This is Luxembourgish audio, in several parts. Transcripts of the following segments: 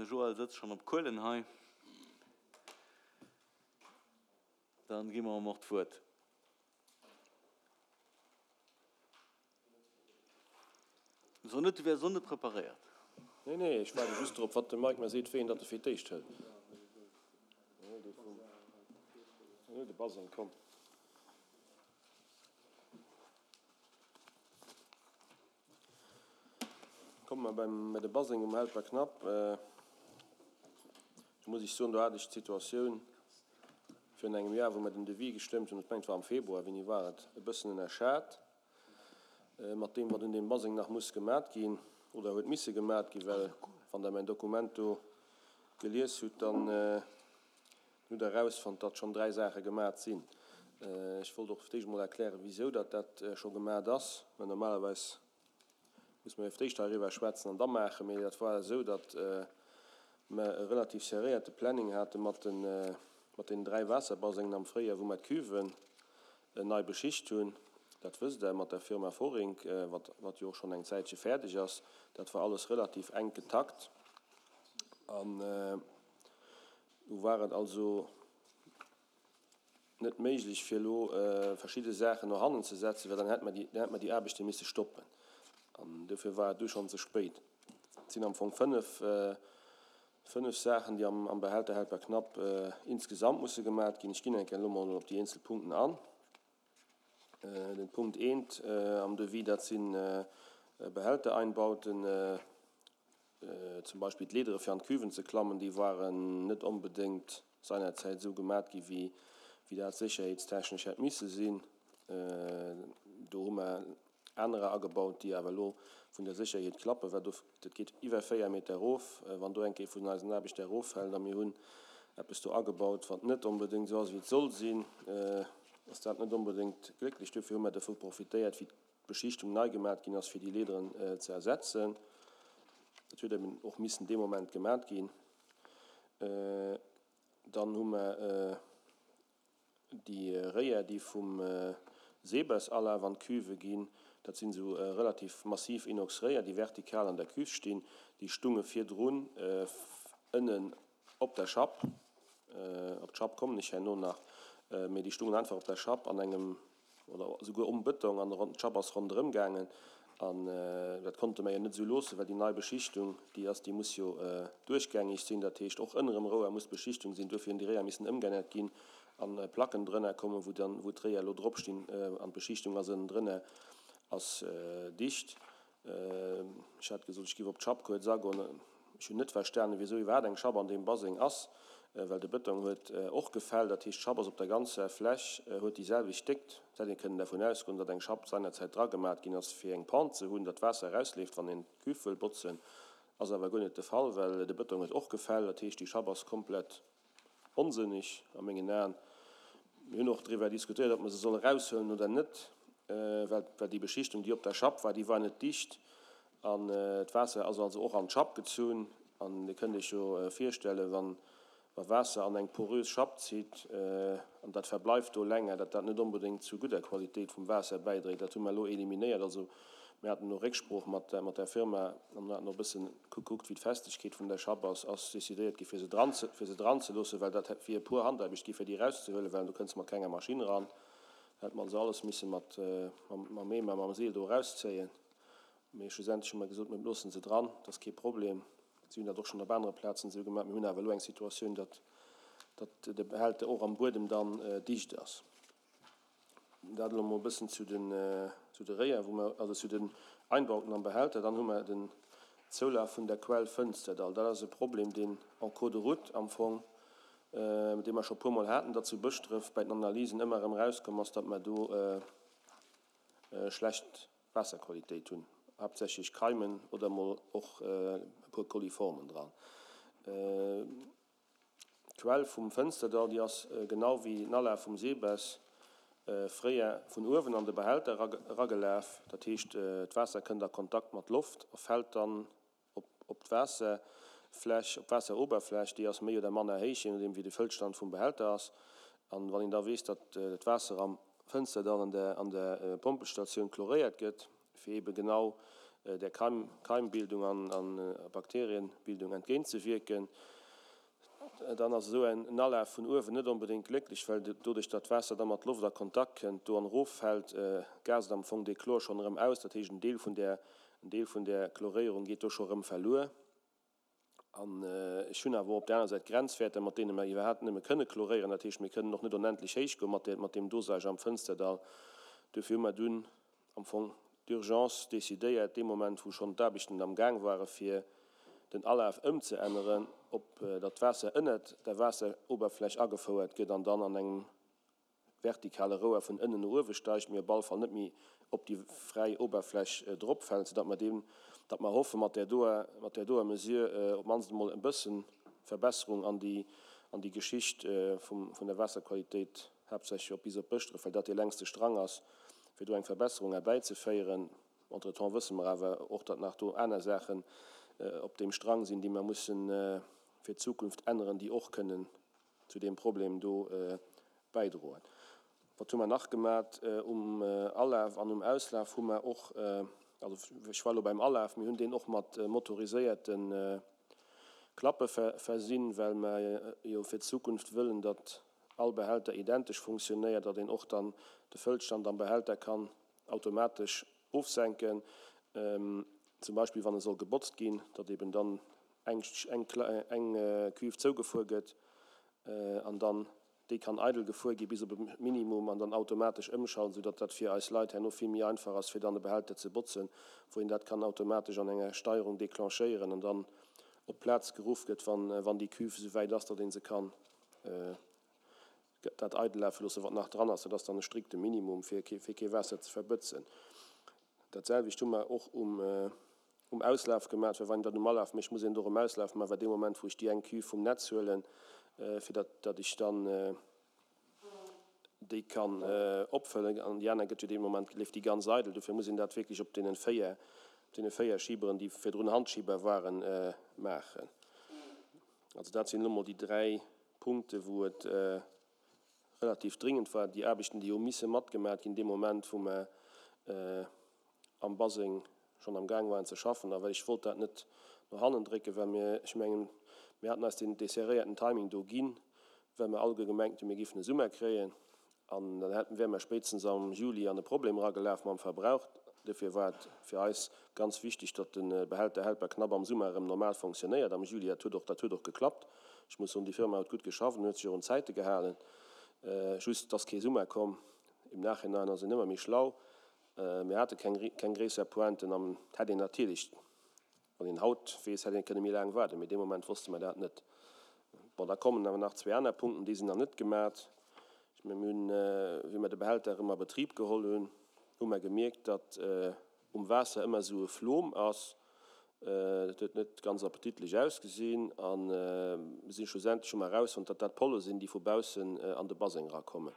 De Joël sëtzt schonn op Kuelen hei. Dann gi mer em och d'Wuert. So net, du wäers och net preparéiert. Nee, nee, ech waarde just drop, wat de Mike mer seet, wéi een datt e fir d'éischt hëlt. De Baseng, komm. Komme mer beim, bei de Baseng um Helperknapp. Do muss ech soen, do hat ech d'Situatioun virun engem Joer, wou mer den Devis gestëmmt hunn, ech mengen et war am Februar, wéini war et, e bëssen ënnerschat mat deem, wat un deem Baseng nach muss gemat ginn oder huet misse gemat ginn, well wann Der mäin Dokument do gelies hutt, dann hutt Der erausfonnt, datt schonn 3 Saache gemat sinn. Ech wollt och fir d'éischt emol erklären, wisou datt dat scho gemat ass, well normalerweis muss mer jo fir d'éischt heiriwwer schwätzen an da maachen. Mee dat war esou, datt mer e relativ serréierte Planning hate mat de mat deenen 3 Waasserbasengen am Fréijoer, wou mer d'Cuven nei beschicht hunn. Dat wësst Der, mat der Firma Vorink, wat wat jo och schonn eng Zäitche fäerdeg ass. Dat war alles relativ enk getakt an do war et also net méiglech fir elo verschidde Saachen no hannen ze setzen, well dann hätte mer déi, dann hätte mer déi Aarbechte misse stoppen an dofir war et du schonn ze spéit. Et sinn am Fong fënnef, fënnef Saachen, déi am, am Behälter Helperknapp insgesamt musse gemat ginn. Ech ginn eng Kéier elo mol op déi eenzel Punkten an. Den Punkt eent am Devis, dat si Behältereinbauten, Zum Beispill d'Leedere fir an d'Cuven ze klammen, déi waren net onbedéngt seinerzäit esou gemat gi wéi dat sécherheetstechnesch hätt misse sinn. Do hu mer anerer agebaut, déi awer elo vun der Sécherheet klappen, well do, dat geet iwwer 4 Meter erof, wann do eng Kéier vun eisen Aarbechter eroffält a mir hunn eppes do agebaut, wat net onbedéngt esou ass wéi et soll sinn, ass dat net onbedéngt glécklech. Dofir hu mer dervu profitéiert, wéi d'Beschichtung nei gemat ginn ass, fir déi Leederen ze ersetzen. Dat huet eben och missen dee Moment gemat ginn. Dann hu mer déi Réier, déi vum Sebes-Alaf an d'Cuve ginn. Dat sinn esou relativ massiv Inox-Réier, déi vertikal an der Cuve stinn. Déi stunge virdrun ënnen op der Schapp. Op d'Schapp kommen ech herno nach. Mee déi stungen einfach op der Schapp an engem oder esouguer um Bëtong an d'Schapp ass ronderëm gaangen an dat konnte mer jo net esou loossen, well déi nei Beschichtung, déi ass, déi muss jo duerchgängig sinn, dat heescht och ënnerem Rouer muss d'Beschichtung sinn. Duerfir hunn déi Réier missen ëmgeännert ginn a Placken drënner kommen, wou dann, wou d'Réier elo drop stinn an d'Beschichtung ass ënnendrënner ass dicht. Ech hat gesot, ech géif op d'Schapp kuerz agoen. Ech hunn net verstanen, wisou iwwerhaapt eng Schapp an deem Baseng ass, well de Bëtong huet och gefäll. Dat heescht, d'Schapp ass op der ganzer Fläch, huet déi selwecht Déckt. Et hätt ee kënnen dervun ausgoen, datt eng Schapp seinerzäit dragemat ginn ass, fir eng Pente ze hunn, datt d'Waasser erausleeft, wann een d'Cuve wëll botzen. Ass awer guer net de Fall, well de Bëtong huet och gefäll. Dat heescht, déi Schapp ass komplett Onsënneg a mengen Aen. Mir hunn och driwwer diskutéiert, ob mer se solle eraushuelen oder net, well déi Beschichtung, déi op der Schapp war, déi war net dicht an d'Waasser ass also och an d'Schapp gezunn. An Dir kënnt Iech jo virstellen, wann wa Waasser an eng porös Schapp zitt an dat verbleift do länger, datt dat net onbedéngt zu gudder Qualitéit vum Waasser bäidréit. Dat hu mer elo eliminéiert. Also mir haten elo Récksprooch mat der Firma an mir haten och e bëssen gekuckt, wéi d'Festegkeet vun der Schapp ass, ass decidéiert gi fir se dran ze, fir se dran ze loossen, well dat hätt wier puer Handaarbecht gi fir déi erauszehuelen, well do kënns de mat kenger Maschinn eran. Da hätt mer also alles misse mat, mam Eemer, mam Seel do erauszéien. Mee schlussendlech hu mer gesot, mir loosse se dran, dat ass kee Problem. Si hunn dat och schonn op anere Plazen esou gemaach. Mir hunn awer elo eng Situatioun, datt, datt de Behälter och am Buedem dann dicht ass. Dat elo mol e bëssen zu den, zu de Réier, wou mer, also zu den Einbauten am Behälter. Dann hu mer den Zoulaf vun der Quell Fënsterdall. Dat ass e Problem, deen en cours de route am Fong, dee mer scho puermol haten, datt zu Bëschdref bei den Analysen ëmmer erëm erauskomm ass, datt mer do schlecht Waasserqualitéit hunn, haaptsächlech Keimen oder mol och e puer Coliformen dran. D'Quell vum Fënsterdall, déi ass genau wéi den Alaf vum Sebes fréier vun uewen an de Behälter eragelaf. Dat heescht, d'Waasser kënnt a Kontakt mat Loft a fält dann op d'Waasserfläch, op d'Waasseroberfläch. Déi ass méi oder manner héich, jee nodeem wéi de Fëllstand vum Behälter ass. An wann een da weess, datt d'Waasser am Fënsterdall an der Pompelstatioun chloréiert gëtt, fir eebe genau. där Keimbildung an Bakterienbildung entgéintzewierken. Dann ass esou en Alaf vun uewen net onbedéngt glécklech, well doduerch datt d'Waasser da mat Loft a Kontakt kënnt, do an eroffält, gaast am Fong dee Chlor schonn erëm aus. Dat heescht, en Deel vun där, en Deel vun där Chloréierung geet do scho erëm verluer. An ech hunn awer och op där aner Säit Grenzwäerter, mat deene mer iwwerhaapt nëmme kënne chloréieren. Dat heescht, mir kënnen och net onendlech héich goe mat mat deem Dosage am Fënsterdall. Duerfir hu mer dunn am Fong d'urgence decidéiert, dee Moment, wou schonn d'Aarbechten am Gaang ware fir den Alaf ëmzeänneren, op datt d'Waasser ënnert der Waasseroberfläch agefouert gëtt an dann an engem vertikale Rouer vun ënnen no uewe steigt, mee op all Fall net méi op déi fräi Oberfläch drop fält, soudatt mer deem, datt mer hoffe mat där doer, mat där doer Mesure op d'mannst emol e bësse Verbesserung an déi, an déi Geschicht vum, vun der Waasserqualitéit, haaptsächlech op bis op Bëschdref, well dat dee längste Strang ass, fir do eng Verbesserung erbäizeféieren. Entretemps wësse mer awer och, datt nach do aner Saachen op deem Strang sinn, déi mer mussen fir d'Zukunft änneren, déi och kënnen zu deem Problem do bäidroen. Wat hu mer nach gemat? Um Alaf an um Auslaf hu mer och, also ech war elo beim Alaf, mir hunn deen och mat motoriséierte Klappe versinn, well mer jo fir d'Zukunft wëllen, datt all Behälter identesch funktionéiert, datt een och dann de Fëllstand am Behälter kann automatesch ofsenken, zum Beispill wann e soll gebotzt ginn, datt eben dann eng Cuve zougefuer gëtt an dann déi kann eidel gefuer gi bis op e Minimum an dann automatesch ëmschalten, soudatt dat fir eis Leit herno vill méi einfach ass, fir dann e Behälter ze botzen, wou een dat kann automatesch an enger Steierung declenchéieren an dann op d'Plaz geruff gëtt, wann déi Cuve esouwäit ass, datt ee se kann dat eidel lafe loossen, wat nach dran ass. Dat ass dann e strikte Minimum, fir kee Waasser ze verbëtzen. Dat selwecht hu mer och um Auslaf gemaach, well wann een dat um Alaf mécht, muss een et och um Auslaf maachen, well dee Moment, wou ech déi eng Cuve vum Netz huelen, fir datt datt ech dann déi kann opfëllen, an déi aner gëtt jo dee Moment, leeft déi ganz eidel. Dofir muss een dat wierklech op deenen 4, op deene 4 Schiberen, déi virdrun Handschiber waren, maachen. Also dat sinn elo mol déi 3 Punkte wou et relativ dringend war, déi Aarbechten, déi hu misse matgemat ginn dee Moment, wou mer am Baseng schonn am Gaang waren ze schaffen. A well ech wollt dat net no hannen drécken, well mir, ech mengen, mir haten eis deen dee serréierten Timing do ginn, well mer alleguer gemengt hunn, mir géifen e Summer kréien. An dann hätten, wäre mer spéitstens am Juli an e Problem eragelaf mam Verbrauch. Dofir war et fir eis ganz wichteg, datt de Behälter Helperknapp am Summer erëm normal fonctionnéiert am Juli. Dat huet och, dat huet och geklappt. Ech muss soen, déi Firma huet gutt geschafft an huet sech och un d'Zäite gehalen. Just, et ass kee Summer komm. Im Nachhinein ass een ëmmer méi schlau. Mir hate keng, keng gréisser Pointen an et hätt een natierlech, Wann een haut weess, hätt een kënne méi laang waarden, mee dee Moment wosste mer dat net. Bon, da kommen awer nach zwee aner Punkten, déi sinn nach net gemat. Ech mengen, mir hunn, wéi mer de Behälter erëm a Betrib geholl hunn, hu mer gemierkt, datt um Waasser ëmmer esou e Flom ass. Dat huet net ganz appetitlech ausgesinn a mir sinn schlussendlech hu mer erausfonnt, datt dat Polle sinn, déi vu baussen an de Baseng erakommen.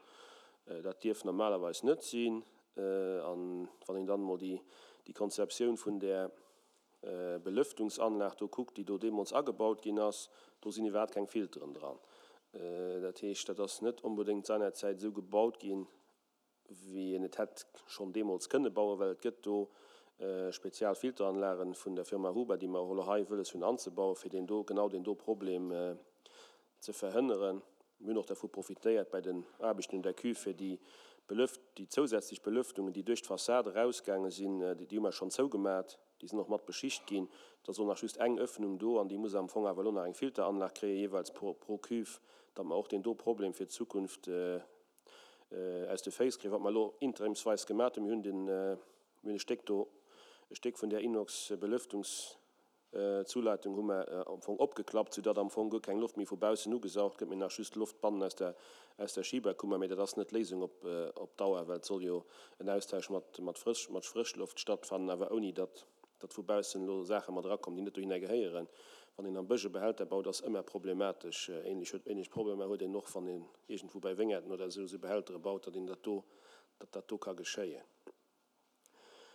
Dat dierf normalerweis net sinn. An wann een dann emol déi Konzeptioun vun där Belëftungsanlag do kuckt, déi do deemools agebaut ginn ass, do sinn iwwerhaapt keng Filteren dran. Dat heescht, dat ass net onbedéngt seinerzäit esou gebaut ginn, wéi een et hätt schonn deemools kënne bauen, well et gëtt do spezial Filteranlagen vun der Firma Huber, déi mer och elo hei wëlles hunn anzebauen, fir deen do, genau deen do Problem ze verhënneren. Mir hunn och dervu profitéiert bei den Aarbechten un der Cuve, fir déi Belëft, déi zousätzlech Belëftungen, déi duerch d'Fassade erausgaange sinn, déi hu mer schonn zougemat, déi sinn och mat beschicht ginn. Et ass och nach just eng Öffnung do an déi muss am Fong awer elo nach eng Filteranlag kréie jeeweils pro pro Cuve, datt mer och deen do Problem fir d'Zukunft aus de Féiss kréien. Wat mer elo interimsweis gemat hunn, mir hunn den, mir hunn e Stéck do, e Stéck vun där Inox-Belëftungs, D'Zuleitung hu mer am Fong opgeklappt, soudatt am Fong guer keng Loft méi vu baussen ugesaugt gëtt, mee nach just Loft bannen aus der, aus der Schiberkummer. Mee dat ass net d'Léisung op, op Dauer, well et soll jo en Austausch mat, mat Frësch, mat Frëschloft stattfannen, awer ouni datt, datt vu baussen elo Saache mat erakommen, déi net dohinner gehéieren. Wann een am Bësch e Behälter baut, ass ëmmer problematesch. Ähnlech huet, ähnlech Problemer huet een och, wann een iergendwou bei Wéngerten oder esou, esou Behältere baut, datt een dat do, datt dat do ka geschéien.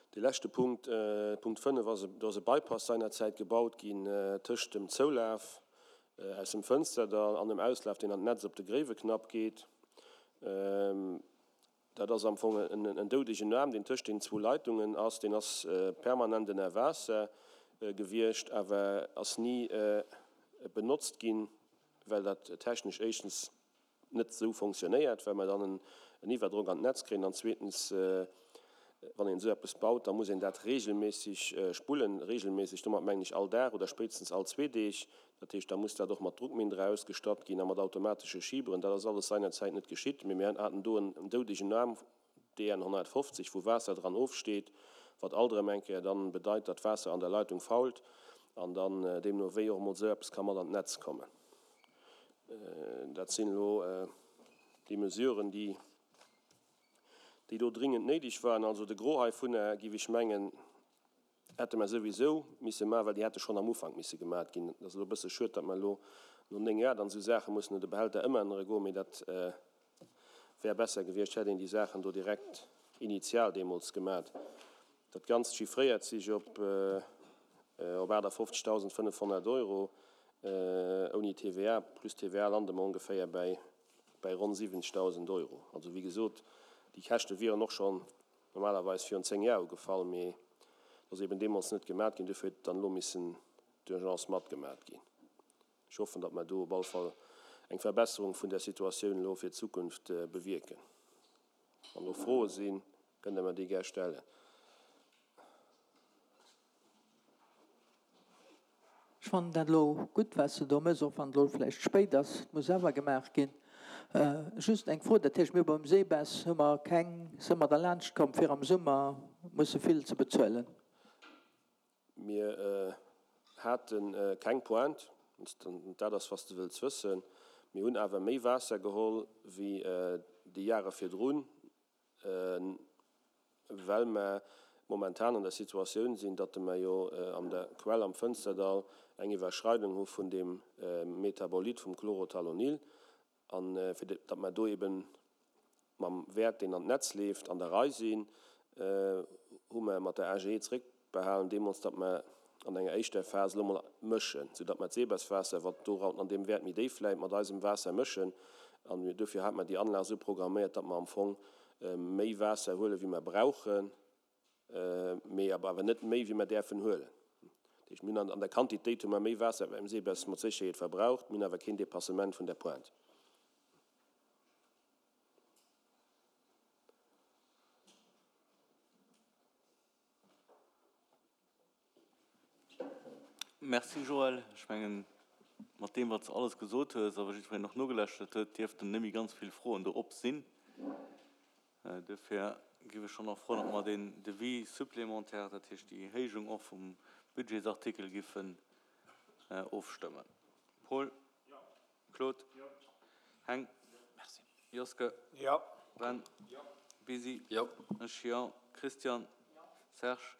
Dee leschte Punkt, Punkt 5, ass, do ass e Bypass seinerzäit gebaut ginn tëscht dem Zoulaf aus dem Fënsterdall an dem Auslaf, deen an d'Netz op de Gréiweknapp geet. Dat ass am Fong en doudegen Aarm, deen tëscht den zwou Leitungen ass. Deen ass permanent ënner Waasser gewiescht, awer ass ni benotzt ginn, well dat technesch éischtens net esou fonctionnéiert, well mer dann en Iwwerdrock an d'Netz kréien, an zweetens, wann een esou eppes baut, da muss een dat regelméisseg spullen. Regelméisseg, domat mengen ech all Dag oder spéitstens all zwee Deeg. Dat heescht, da muss dat och mat Druckmindere ausgestatt ginn a mat automatesche Schiberen. Dat ass alles seinerzäit net geschitt, mee mir haten do en doudegen Aarm, DN 150, wou Waasser dran ofsteet, wat alt erëm eng Kéier dann bedeit, datt Waasser an der Leitung fault an dann deemno wéi och emol esou eppes ka mat an d'Netz kommen. Dat sinn elo déi Mesuren, déi déi do dringend néideg waren. Also de Gros heivunner, géif ech mengen, hätte mer souwisou misse maachen, well déi hätte schonn am Ufank misse gemat ginn. Et ass elo e bësse schued, datt mer elo no 9 Joer dann esou Saache mussen no de Behälter ëmännere goen, mee dat wär besser gewiescht, hätt een déi Saachen do direkt initial deemools gemat. Dat Ganzt chiffréiert sech op op 58.500 Euro ouni TVA. Plus TVA lande mer ongeféier bäi bäi ronn 70.000 Euro. Also wéi gesot, déi Käschte wieren och schonn normalerweis virun 10 Jar ugefall, mee et ass eben deemools net gemat ginn, dofir huet et dann elo missen d'urgence matgemat ginn. Ech hoffen, datt mer do op all Fall eng Verbesserung vun der Situatioun elo fir d'Zukunft bewierken. Wann do Froe sinn, kënnt Der mer déi gär stellen. Ech fannen dat elo gutt, wat s de do méchs, och wann et elo vläicht spéit ass. Et muss awer gemaach ginn. Just eng Fro, dat heescht, mir hu beim Sebes hu mer keng, si mer derlaanscht komm, fir am Summer musse vill ze bezuelen? Mir hate keng Pointe, wann dat ass, wat s de wëlls wëssen. Mir hunn awer méi Waasser geholl wéi déi Jahre virdrun, well mer momentan an der Situatioun sinn, datt mer jo an der Quell am Fënsterdall eng Iwwerschreidung hu vun deem Metabolit vum Chlorothalonil. A fir datt mer do eeben mam Wäert, deen an d'Netz leeft, an der Rei sinn, hu mer mat der AGE zréckbehalen deemools, datt mer an enger éischter Phas elo mol mëschen, soudatt mer d'Seebeswaasser, wat do an deem Wäert méi déif läit, mat eisem Waasser mëschen. An dofir hate mer déi Anlag esou programméiert, datt mer am Fong méi Waasser huelen, wéi mer brauchen. mee awer net méi wéi mer däerfen huelen. Dat heescht, mir hunn an der Quantitéit hu mer méi Waasser beim Sebes mat Sécherheet verbraucht, mir hunn awer keen Dépassement vun der Pointe. Merci Joël. Ech mengen, mat deem wat s de alles gesot hues a wat jiddwereen och nogelaschtert huet, dierften net méi ganz vill Froen do op sinn. Duerfir géif ech schonn och froen, ob mer deen Devis supplémentaire, dat heescht déi Erhéijung och vum Budgetsartikel, giffen ofstëmmen. Paul? Claude? Heng? Joske? Ben? Bisi? Ech jo. Christian? Serge?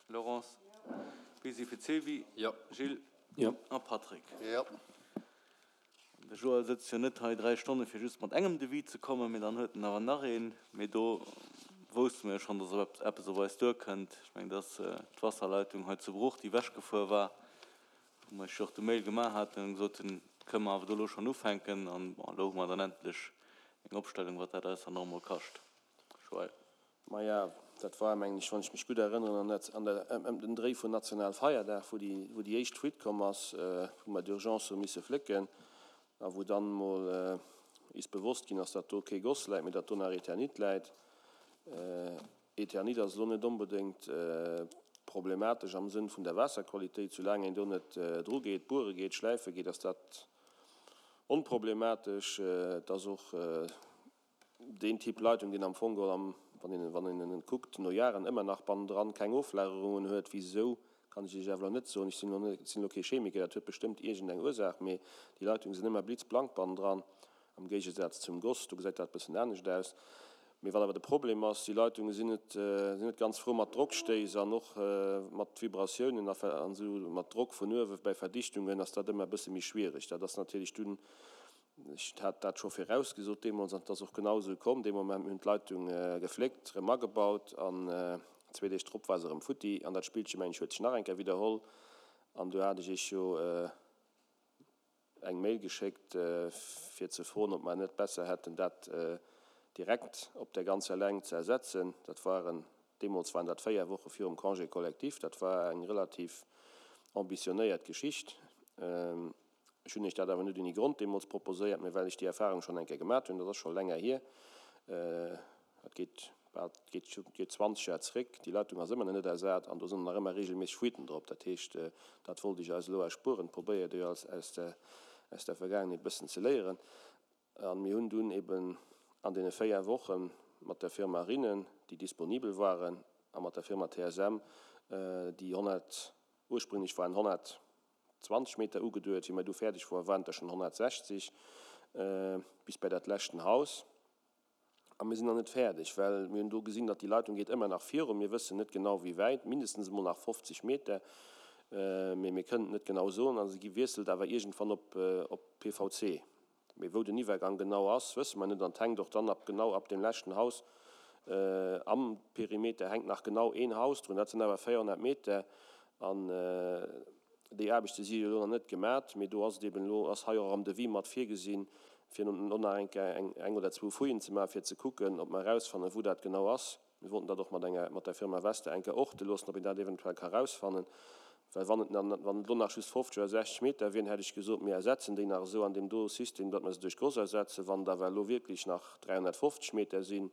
Laurence? Bisi fir d'Sylvie? Gilles? A Patrick? De Joël sëtzt jo net hei 3 Stonne fir just mat engem Devis ze kommen, mee dann huet en awer nach een. Mee do wousste mer jo schonn, dass eppes op eis duerkënnt. Ech mengen, dat ass d'Wasserleitung hei zu Bruch, déi ewechgefuer war, wou mer iech jo och de Mail gemaach haten an gesot hunn, kënne mer awer do elo schonn ufänken. An bon, elo hu mer dann endlech eng Opstellung, wat dat eis dann och emol kascht. Joël. Maja, dat war, mengen ech, wann ech mech gutt erënneren, an der, ëm den Dréi vun Nationalfeierdag, wou déi, wou déi éischt Fuite komm ass, wou mer d'Urgence hu misse flécken a wou dann emol is bewosst ginn ass, datt do kee Goss läit, mee datt do nach Eternit läit. Eternit ass elo net onbedéngt problematesch am Sënn vun der Waasserqualitéit, soulaang een do net drugeet, buere geet, schläife geet, ass dat onproblematesch. Et ass och Deen Typ Leitung, deen am Fong geholl am, wann een, wann een en kuckt, no Jaren ëmmer nach bannendran keng Oflagerungen huet. Wisou, kann ech Iech awer elo net soen. Ech sinn elo net, sinn elo kee Chemiker, dat huet bestëmmt iergend eng Ursaach, mee déi Leitungen sinn ëmmer blitzblank bannendran, am Géigesaz zum Goss, do gesäit dat e bëssen anescht aus. Mee wat awer de Problem ass, déi Leitunge sinn net, sinn net ganz frou mat Drockstéiss an och mat Vibratiounen a an esou mat Drock vun uewe bäi Verdichtungen ass dat ëmmer e bësse méi schwiereg. Dat ass natierlech dunn Ech hat dat scho virausgesot deemools an et ass och genau esou komm. Dee Moment, mir hunn d'Leitung gefléckt, erëm agebaut an zwee Deeg drop war se erëm futti. An dat Spillche, mengen ech, huet sech nach eng Kéier widderholl an du hat ech Iech jo eng Mail geschéckt, fir ze froen, ob mer net besser hätten, dat. direkt op der ganzer Längt ze ersetzen. Dat waren, deemools waren dat 4 Woche virum Congé collectif, dat war eng relativ ambitionéiert Geschicht. Ech hunn Iech dat awer net ouni Grond deemools proposéiert, mä well ech déi Erfahrung schonn eng Kéier gemat hunn, dat ass scho länger hier, dat geet bal, geet, geet 20 Jar zréck, déi Leitung ass ëmmer nach net ersat an do sinn nach ëmmer regelméisseg Fuiten drop. Dat heescht, dat wollt ech eis elo erspueren, probéiert jo aus, aus der, aus der Vergaangenheet e bëssen ze léieren. A mir hunn dunn eben an deene 4 Woche mat der Firma Rinnen, déi disponibel waren, a mat der Firma TSM, déi 100, ursprünglech waren 100, 20 Meter ugeduet. Wéi mer du fäerdeg woar, waren et der schonn 160 bis bei dat leschten Haus. A mir sinn nach net fäerdeg, well mir hunn do gesinn, datt déi Leitung geet ëmmer nach virun. Mir wëssen net genau wéi wäit, mindestens emol nach 50 Meter, mee mir kënnen et net genau soen. A se gi wiesselt awer iergendwann op PVC. Mee wou den Iwwergang genau ass, wësse mer net. An et hänkt och dann ab genau ab deem leschten Haus am Perimeter hänkt nach genau een Haus drun. Dat sinn awer 400 Meter. An déi Aarbechte si jo elo nach net gemat. Mee do ass et eben elo, ass hei och am Devis mat virgesinn, fir no nach eng Kéier eng oder zwou Fouillen ze maachen, fir ze kucken, ob mer erausfannen, wou dat genau ass. Mir wollten dat och mat enger, mat der Firma Wester eng Kéier orte loossen, ob een dat eventuell ka rausfannen. Well wann et, wann et elo nach just 50 oder 60 Meter wieren, hätt ech gesot, mir ersetzen déi nach esou an deem do System, datt mer se duerch d'Gross ersetzen. Wann et awer elo wierklech nach 350 Meter sinn,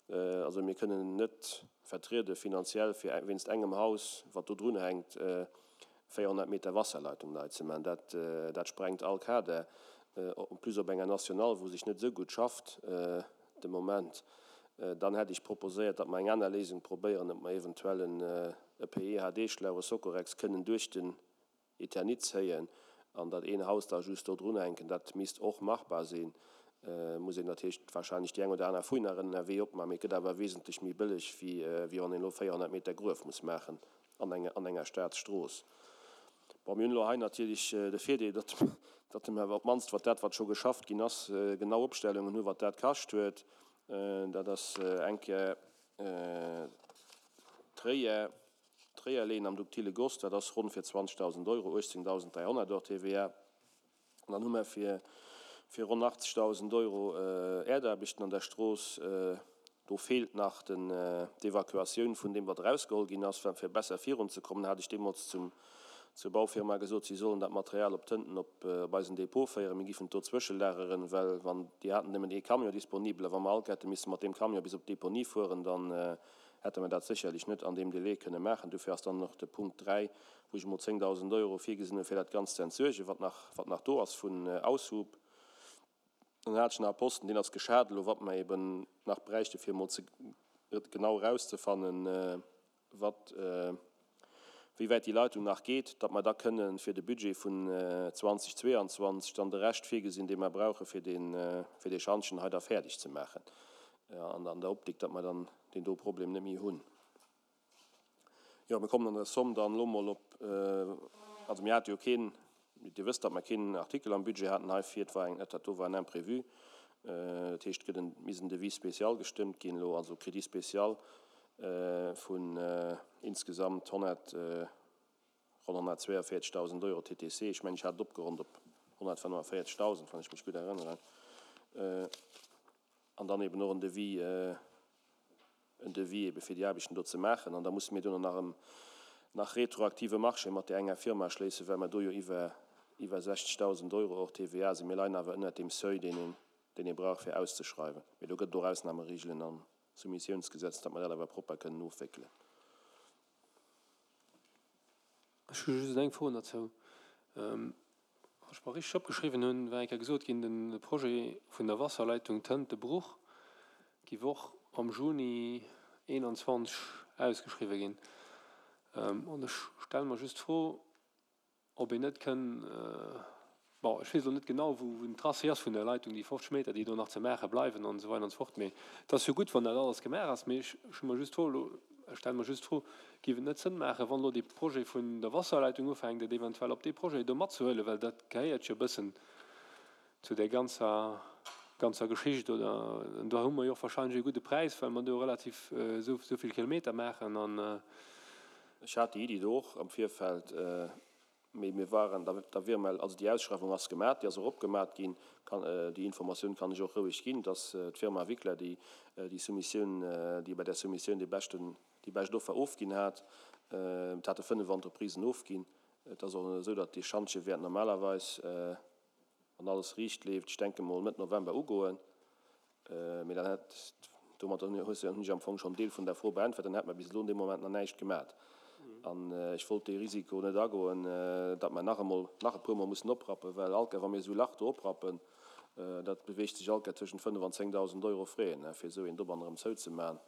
also mir kënnen net vertriede finanziell fir wéinst engem Haus, wat do drunhänkt, 400 Meter Wasserleitung nei ze maachen. Dat, dat sprengt all Kader. En plus op enger Nationale, wou sech net esou gutt schafft de Moment. Dann hätt ech proposéiert, datt mer eng aner Léisung probéieren, ob mer eventuell en e PEHD-Schlauch, e Socorex, kënnen duerch den Eternit zéien an dat een Haus da just do drunhänken. Dat misst och machbar sinn. Muss een natierlech wahrscheinlech déi eng oder aner Fouille nach ënnerwee opmaachen, mee et gëtt awer wesentlech méi bëlleg, wéi wann een elo 400 Meter Gruef muss maachen an enger Staatsstrooss. Bon, mir hunn elo hei natierlech de Virdeel, datt datt mer op d'mannst, wat dat, wat scho geschafft ginn ass, genau Opstellungen hunn, wat dat kascht huet. Dat ass eng Kéier d'Réier, d'Réierleen am duktile Goss, dat ass ronn fir 20.000 Euro, 18.300 hors TVA. An dann hu mer fir fir ronn 80.000 Euro Äerdaarbechten an der Strooss. Do feelt nach den d'Evacuatioun vun deem, wat erausgeholl ginn ass. Well fir besser virunzekommen, hat ech deemools zum zur Baufirma gesot, si sollen dat Material op Tënten op op eisen Depot féieren. Mir giffen et do zwëschelageren, well wann déi haten nëmmen ee Camion disponibel a wa mer all hätte misse mat deem Camion bis op d'Deponie fueren, dann hätte mer dat sécherlech net an deem Délai kënne maachen. Dofir ass dann och de Punkt 3, wou ech emol 10.000 Euro virgesinn hunn, fir dat Ganzt ze entsuergen, wat nach, wat nach do ass vun Aushub. Dann hat ech nach e Posten, deen ass geschat elo, wat mer eben nach bräichte fir emol ze genau erauszefannen, wat, wéi wäit déi Leitung nach geet, datt mer da kënnen fir de Budget vun 2022 dann de Rescht virgesinn, dee mer brauche fir dee, fir dee Schantjen hei da fäerdeg ze maachen, an an der Optik, datt mer dann deen do Problem net méi hunn. Jo, mir kommen an der Somm dann elo mol op, also mir hate jo keen, Dir wësst, datt mer keen Artikel am Budget haten heifir, et war eng, dat do war en Imprévu. Dat heescht, et gëtt en, misst en Devis spécial gestëmmt ginn elo, also Crédit spécial vun insgesamt 100, ronn 142.000 Euro TTC. Ech mengen, ech hat et opgeronnt op 145.000, wann ech mech gutt erënneren. An dann eben och en Devis, en Devis ebe fir déi Aarbechten do ze maachen. An da musse mir duerno nach en nach retroaktive Marché mat där enger Firma schléissen, well mer do jo iwwer iwwer 60.000 Euro hors TVA sinn. Mir leien awer ënnert deem Seuil, deen een deen ee brauch fir auszeschreiwen. Mee do gëtt et och Ausnahmeregelen am Soumissiounsgesetz, datt mer dat awer propper kënnen ofwéckelen. Ech hu just eng Fro derzou. Wann ech mer richteg opgeschriwwen hunn, war eng Kéier gesot ginn, de Projet vun der Wasserleitung Tëntebruch géif och am Juni 21 ausgeschriwwen ginn. An ech stelle mer just d'Fro, ob een net kënn, bon, ech weess elo net genau, wou den Tracé ass vun der Leitung, déi 50 Meter, déi do nach ze maache bleiwen an esou weider an esou fort, mee et ass jo gutt, wann dat alles gemaach ass. Mee ech hu mer just d'Fro elo, ech stelle mer just d'Fro, Géif et net Sënn maachen, wann elo dee Projet vun der Wasserleitung ufänkt, et eventuell op dee Projet do matzehuelen, well dat gehéiert jo e bëssen zu där ganzer, ganzer Geschicht, oder? Do hu mer jo och wahrscheinlech e gudde Präis, well mer do relativ esou vill Kilometer maachen an. Ech hat déi Iddi do och am Virfeld. Mee mir waren der Wirmel, also déi Ausschreiwung ass gemat, déi ass och opgemat ginn, déi Informatioun kann ech och roueg ginn, dass d'Firma Wickler déi déi Soumissioun, déi bei där Soumissioun dee beschten, déi bescht Offer ofginn hat. Et hate 5 Entreprisen ofginn. Et ass och esou, datt dee Schantje wäert normalerweis, wann alles riicht leeft, ech denke mol Mëtt November ugoen. Mee dann hätt, domat hunn ech am Fong schonn en Deel vun der Fro beäntwert, dann hätt mer bis elo an deem Moment nach näischt gemat. An ech wollt dee Risiko net agoen, datt mer nach emol, nach e puermol mussen oprappen, well all Kéier, wa mir esou e Lach do oprappen, dat beweegt sech all Kéier tëschent 5 an 10.000 Euro Frais, fir esou een Dobann erëm zouzemaachen.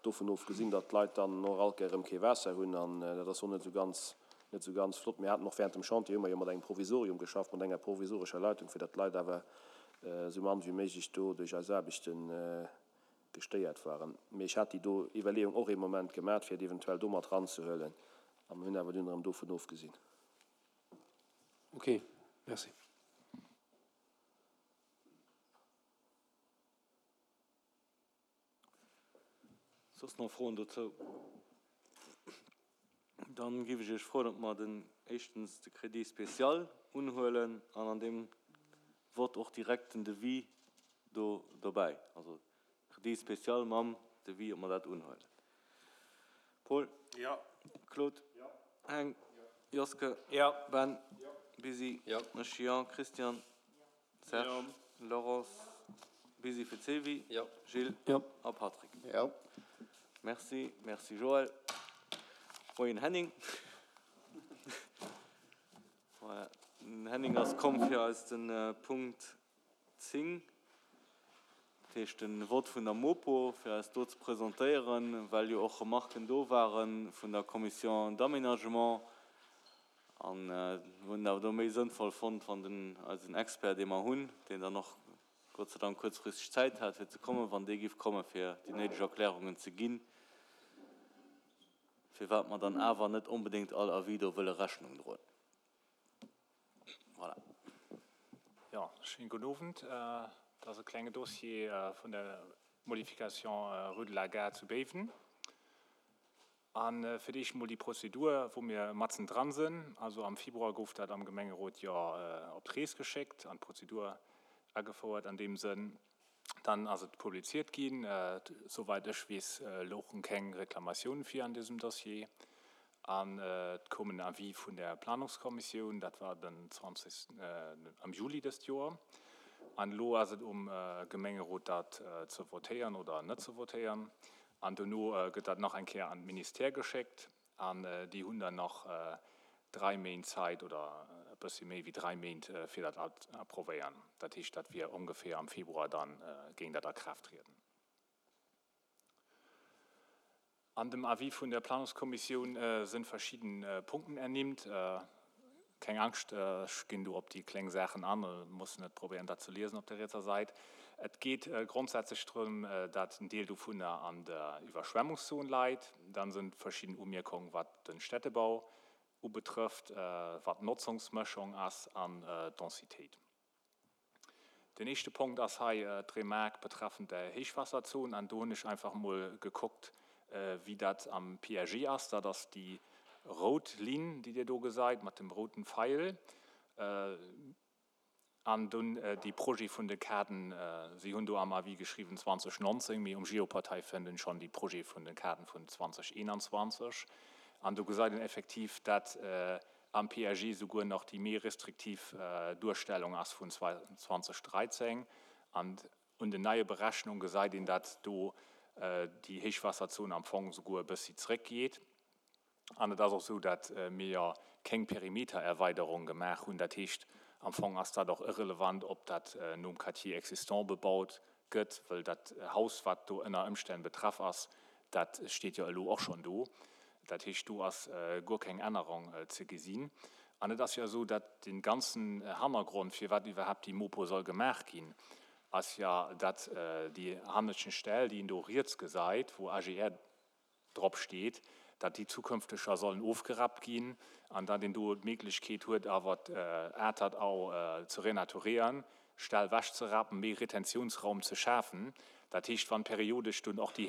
Dovun ofgesinn, datt d'Leit dann och all Kéier erëm kee Waasser hunn, an dat ass och net esou ganz, net esou ganz flott. Mir haten och während dem Chantier hu mer jo mat engem Provisorium geschafft, mat enger provisorescher Leitung, fir datt d'Leit awer esou mann wéi méiglech do duerch eis Aarbechte gestéiert waren. Mee ech hat déi do Iwwerleeung och ee Moment gemat, fir et eventuell do mat eranzehuelen, a mir hunn awer dunn erëm dovun ofgesinn. Ok, merci. Soss nach Froen dozou? Dann géif ech Iech froen, ob mer den éischtens de Crédit spécial unhuelen an an deem Vott och direkt den Devis do dobäi, also Crédit spécial mam Devis, ob mer dat unhuelen. Paul? Jo. Claude? Jo. Heng? Jo. Joske? Jo. Ben? Jo. Busy? Jo. Ech jo. Christian? Serge, Laurence, Busy fir d'Sylvie, Gilles a Patrick. Merci, merci Joël. Moien Henning. Voilà, den Henning ass komm fir eis de Punkt 10, dat heescht de Vott vun der Mopo, fir eis do ze presentéieren, well jo och Remarken do ware vun der Commission d'aménagement. An hunn et awer do méi sënnvoll fonnt, wann den, eisen Expert, dee mer hunn, deen dann och Gott sei Dank kuerzfristeg Zäit hat fir ze kommen, wann dee giff komme fir déi néideg Erklärungen ze ginn, firwat mer dann awer net onbedéngt all Avis do wëlle Rechnung droen. Voilà. Jo, schéinen gudden Owend. Dat ass e klenge Dossier vun der Modification rue de la Gare zu Béiwen. A fir d'éischt emol déi Prozedur, wou mir matzen dran sinn. Also am Februar gouf dat am Gemengerot jo op d'Rees geschéckt an d'Prozedur agefouert an deem Sënn. Dann ass et publiziert ginn. Souweit ech weess, louchen keng Reklamatiounen vir an dësem Dossier. An et koum en Avis vun der Planungskommissioun, dat war den 20, am Juli dëst Joer. An elo ass et um Gemengerot, dat ze votéieren oder net ze votéieren. An dono gëtt dat nach eng Kéier an d'Ministère geschéckt an déi hunn dann nach drai Méint Zäit oder e bëssi méi wéi drai Méint, fir dat ze approvéieren. Dat heescht, dat wier ongeféier am Februar, da géing dat a Kraaft trieden. An dem Avis vun der Planungskommissioun sënn verschidden Punkten ernimmt. Keng Angscht, ech ginn do op déi kleng Saachen an, muss net probéieren dat ze liesen op der rietser Säit. Et geet grondsätzlech drëm, dat en Deel dovunner an der Iwwerschwemmungszon leit. Dann sinn verschidden Umierkungen, wat den Städtebau ubetrëfft, wat d'Notzungsmëschung ass an d'Densitéit. Den éischte Punkt ass hei d'Remark betreffend der Héichwaasserzon. An do hunn ech einfach emol gekuckt, wéi dat am PAG ass. Dat ass déi rout Linn, déi Dir do gesait, mat dem routen Feil. An dunn dee Projet vun de Kaden. Si hunn do am Avis geschriwwen 2019, mee um Geoportail fënnt een schonn déi Projete vun de Kaden vun 2021. An do gesait een effektiv, dat am PAG souguer nach déi méi restriktiv Duerstellung ass vun 2013. An un den neie Berechnung gesäit een, dat do déi Héichwaasserzon am Fong souguer e bëssi zréckgeet. An et ass och esou, dat mir jo kéng Perimetererweiderung gemaach hunn. Dat heescht, am Fong ass dat och irrelevant, ob dat nom Quartier existant bebaut gëtt, wëll dat Haus, wat do ënner Ëmstänn betraff ass, dat steet jo elo och schonn do. Dat heescht, do ass guer keng Ännerung ze gesinn. An et ass jo esou, datt dee ganzen Hannergrond, firwat iwwerhaapt déi Mopo soll gemaach ginn, ass jo, datt déi hanneschten Stell, déi een do riets gesait, wou AGR drop steet, datt déi zukünfteg scho sollen ofgerappt ginn an datt een do d'Méiglechkeet huet, awer d'Atert-Au ze renaturieren, Stell wechzerappen, méi Retentiounsraum ze schafen. Dat heescht, wann periodesch dunn och déi.